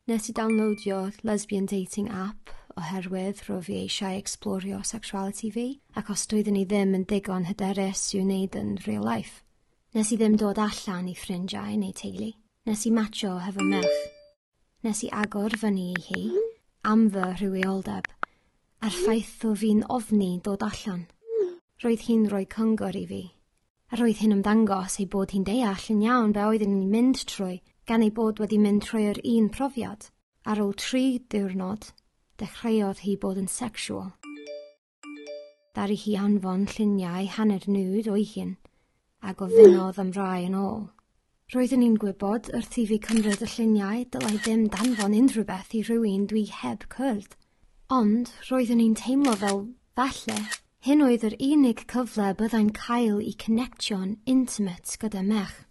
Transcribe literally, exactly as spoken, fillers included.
Nes i downloadio lesbian dating app oherwydd roedd fi eisiau explorio sexuality fi, ac os doeddwn i ddim yn ddigon hyderus i'w wneud yn real life. Nes i ddim dod allan i ffrindiau neu teulu. Nes i matcho hefo merch. Nes i agor fyny i hi am fy rhywioldeb, a'r ffaith o fi'n ofni dod allan. Roedd hi'n rhoi cyngor i fi, a roedd hi'n ymddangos ei bod hi'n deall yn iawn be oeddwn i'n mynd trwy, gan ei bod wedi mynd trwy'r un profiad. Ar ôl tri diwrnod, dechreuodd hi bod yn sexual. Ddaru hi anfon lluniau hanner nude o'i hun, a gofynnodd am rai yn ôl. Roeddwn i'n gwybod wrth i fi cymryd y lluniau dylai ddim danfon unrhyw beth i rhywun dwi heb cwrdd. Ond roeddwn i'n teimlo fel falle hyn oedd yr unig cyfle byddai'n cael i connectio'n intimate gyda merch.